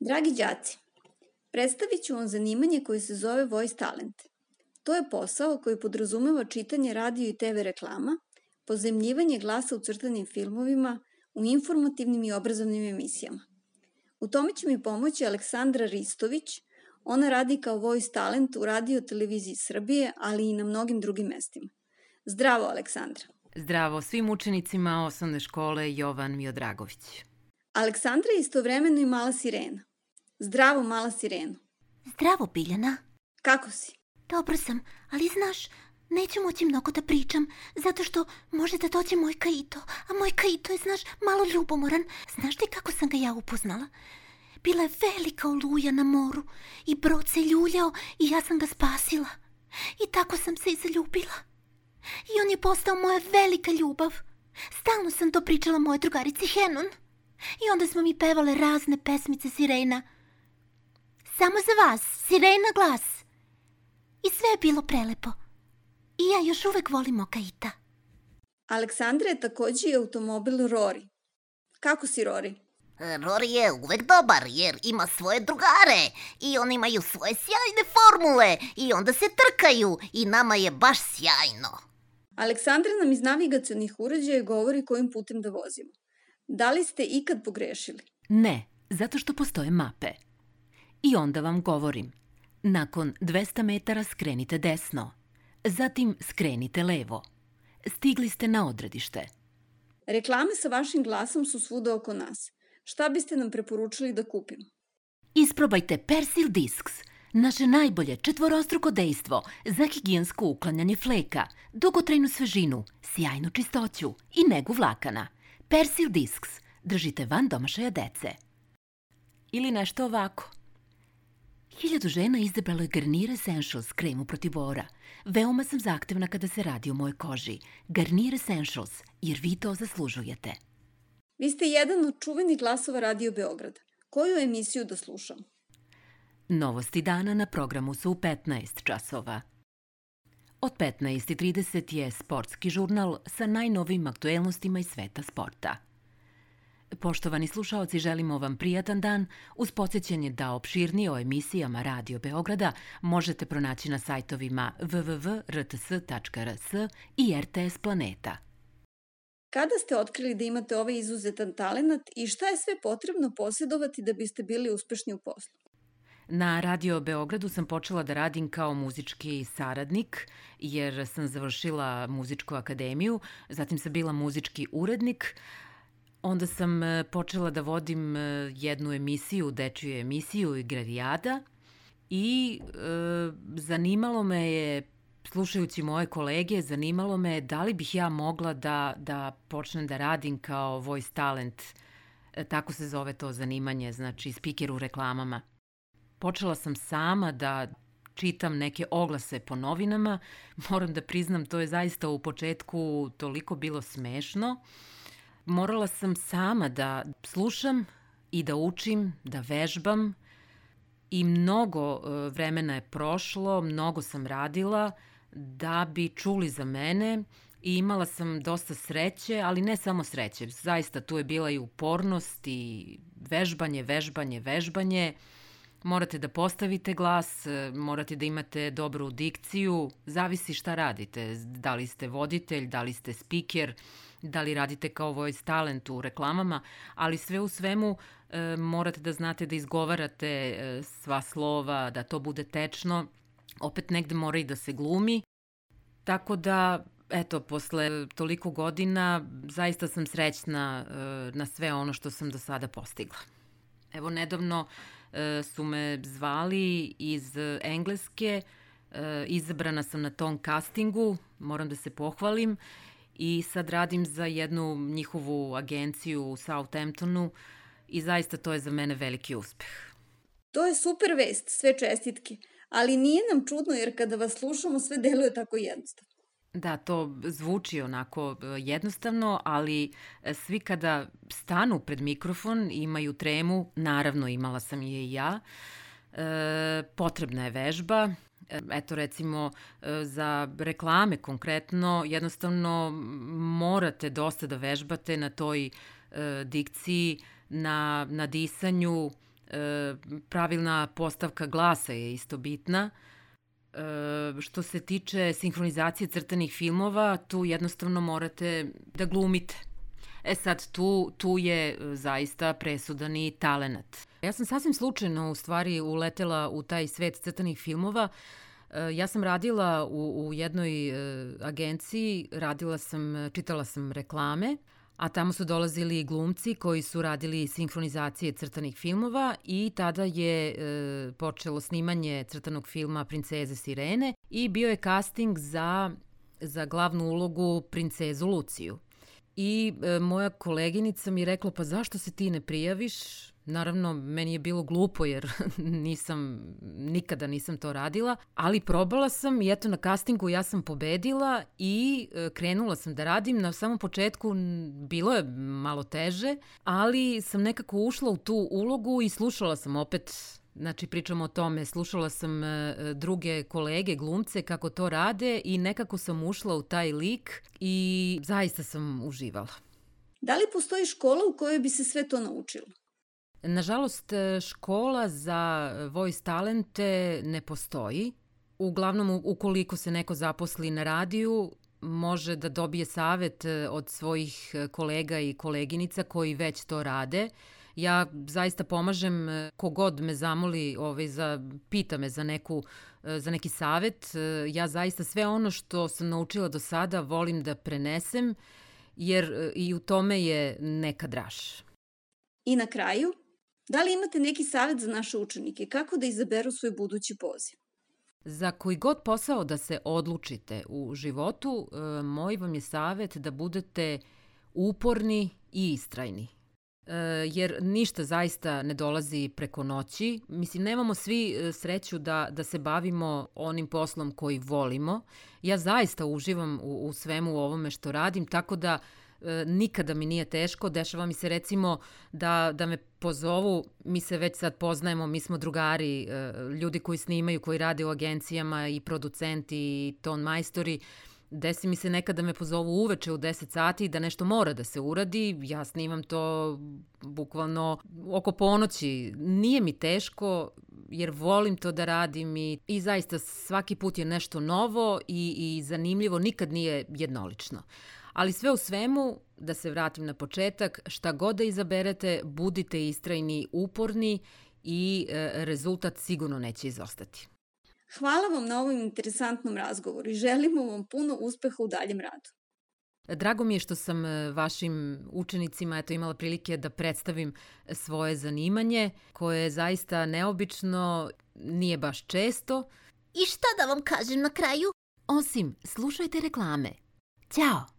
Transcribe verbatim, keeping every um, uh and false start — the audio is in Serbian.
Dragi đaci, predstavit ću vam zanimanje koje se zove Voice Talent. To je posao koji podrazumeva čitanje radio i te ve reklama, pozajmljivanje glasa u crtanim filmovima, u informativnim i obrazovnim emisijama. U tome će mi pomoći Aleksandra Ristović. Ona radi kao Voice Talent u Radio televiziji Srbije, ali i na mnogim drugim mestima. Zdravo, Aleksandra. Zdravo svim učenicima osnovne škole Jovan Miodragović. Aleksandra je istovremeno i mala sirena. Zdravo, mala sireno. Zdravo, Biljana. Kako si? Dobro sam, ali znaš, neću moći mnogo da pričam, zato što može da dođe moj Kaito, a moj Kaito je, znaš, malo ljubomoran. Znaš ti kako sam ga ja upoznala? Bila je velika oluja na moru i brod se ljuljao i ja sam ga spasila. I tako sam se i zaljubila. I on je postao moja velika ljubav. Stalno sam to pričala mojoj drugarici Henon. I onda smo mi pevale razne pesmice sirena. Samo za vas, sirena glas. I sve je bilo prelepo. I ja još uvek volim Okaita. Aleksandra je takođe i automobil Rory. Kako si, Rory? Rory je uvek dobar jer ima svoje drugare i oni imaju svoje sjajne formule i onda se trkaju i nama je baš sjajno. Aleksandra nam iz navigacionih uređaja govori kojim putem da vozimo. Da li ste ikad pogrešili? Ne, zato što postoje mape. I onda vam govorim. Nakon dvesta metara skrenite desno. Zatim skrenite levo. Stigli ste na odredište. Reklame sa vašim glasom su svuda oko nas. Šta biste nam preporučili da kupimo? Isprobajte Persil Discs, naše najbolje četvorostruko dejstvo za higijensko uklanjanje fleka, dugotrajnu svežinu, sjajnu čistoću i negu vlakana. Persil Discs držite van domašaja dece. Ili nešto ovako. Hiljadu žena izabralo je Garnier Essentials kremu protiv bora. Veoma sam zahtevna kada se radi o mojoj koži. Garnier Essentials, jer vi to zaslužujete. Vi ste jedan od čuvenih glasova Radio Beograda. Koju emisiju da slušam? Novosti dana na programu su u petnaest časova. Od petnaest i trideset je sportski žurnal sa najnovijim aktuelnostima iz sveta sporta. Poštovani slušaoci, želimo vam prijatan dan uz podsjećanje da opširnije o emisijama Radio Beograda možete pronaći na sajtovima w w w tačka r t s tačka r s i R T S Planeta. Kada ste otkrili da imate ovaj izuzetan talenat i šta je sve potrebno posjedovati da biste bili uspešni u poslu? Na Radio Beogradu sam počela da radim kao muzički saradnik jer sam završila muzičku akademiju, zatim sam bila muzički urednik. Onda sam počela da vodim jednu emisiju, dečiju emisiju Igrarijada i e, zanimalo me je, slušajući moje kolege, zanimalo me je da li bih ja mogla da, da počnem da radim kao voice talent, e, tako se zove to zanimanje, znači spiker u reklamama. Počela sam sama da čitam neke oglase po novinama, moram da priznam, to je zaista u početku toliko bilo smešno. Morala sam sama da slušam i da učim, da vežbam i mnogo vremena je prošlo, mnogo sam radila da bi čuli za mene i imala sam dosta sreće, ali ne samo sreće, zaista tu je bila i upornost i vežbanje, vežbanje, vežbanje. Morate da postavite glas, morate da imate dobru dikciju, zavisi šta radite, da li ste voditelj, da li ste spiker, da li radite kao voice talent u reklamama, ali sve u svemu e, morate da znate da izgovarate e, sva slova, da to bude tečno, opet negde mora i da se glumi, tako da, eto, posle toliko godina zaista sam srećna e, na sve ono što sam do sada postigla. Evo, nedavno e, su me zvali iz Engleske, e, izabrana sam na tom castingu, moram da se pohvalim, i sad radim za jednu njihovu agenciju u Southamptonu i zaista to je za mene veliki uspeh. To je super vest, sve čestitke, ali nije nam čudno jer kada vas slušamo sve deluje tako jednostavno. Da, to zvuči onako jednostavno, ali svi kada stanu pred mikrofon imaju tremu, naravno imala sam je i ja, e, potrebna je vežba. Eto, recimo, za reklame konkretno, jednostavno morate dosta da vežbate na toj e, dikciji, na, na disanju, pravilna postavka glasa je isto bitna. Što se tiče sinhronizacije crtanih filmova, tu jednostavno morate da glumite. E sad, tu, tu je zaista presudan i talenat. Ja sam sasvim slučajno u stvari uletela u taj svet crtanih filmova. Ja sam radila u, u jednoj agenciji, radila sam, čitala sam reklame, a tamo su dolazili glumci koji su radili sinhronizacije crtanih filmova i tada je e, počelo snimanje crtanog filma Princeze Sirene i bio je casting za, za glavnu ulogu princezu Luciju. I e, moja koleginica mi je rekla, pa zašto se ti ne prijaviš? Naravno, meni je bilo glupo jer nisam, nikada nisam to radila, ali probala sam i eto na castingu ja sam pobedila i e, krenula sam da radim. Na samom početku bilo je malo teže, ali sam nekako ušla u tu ulogu i slušala sam opet, znači pričamo o tome, slušala sam e, druge kolege, glumce kako to rade i nekako sam ušla u taj lik i zaista sam uživala. Da li postoji škola u kojoj bi se sve to naučilo? Nažalost, škola za voice talente ne postoji. Uglavnom, ukoliko se neko zaposli na radiju, može da dobije savet od svojih kolega i koleginica koji već to rade. Ja zaista pomažem kogod me zamoli, ovaj, za, pita me za, neku, za neki savet. Ja zaista sve ono što sam naučila do sada volim da prenesem, jer i u tome je neka draž. I na kraju, da li imate neki savet za naše učenike kako da izaberu svoj budući poziv? Za koji god posao da se odlučite u životu, moj vam je savet da budete uporni i istrajni. Jer ništa zaista ne dolazi preko noći. Mislim, nemamo svi sreću da, da se bavimo onim poslom koji volimo. Ja zaista uživam u, u svemu ovome što radim, tako da nikada mi nije teško. Dešava mi se recimo da, da me pozovu, mi se već sad poznajemo, mi smo drugari, ljudi koji snimaju, koji rade u agencijama i producenti i ton majstori. Desi mi se nekada me pozovu uveče u deset sati da nešto mora da se uradi, ja snimam to bukvalno oko ponoći. Nije mi teško jer volim to da radim i, i zaista svaki put je nešto novo i, i zanimljivo, nikad nije jednolično. Ali sve u svemu, da se vratim na početak, šta god da izaberete, budite istrajni, uporni i e, rezultat sigurno neće izostati. Hvala vam na ovom interesantnom razgovoru i želimo vam puno uspeha u daljem radu. Drago mi je što sam vašim učenicima eto, imala prilike da predstavim svoje zanimanje, koje je zaista neobično, nije baš često. I šta da vam kažem na kraju? Osim, slušajte reklame. Ćao!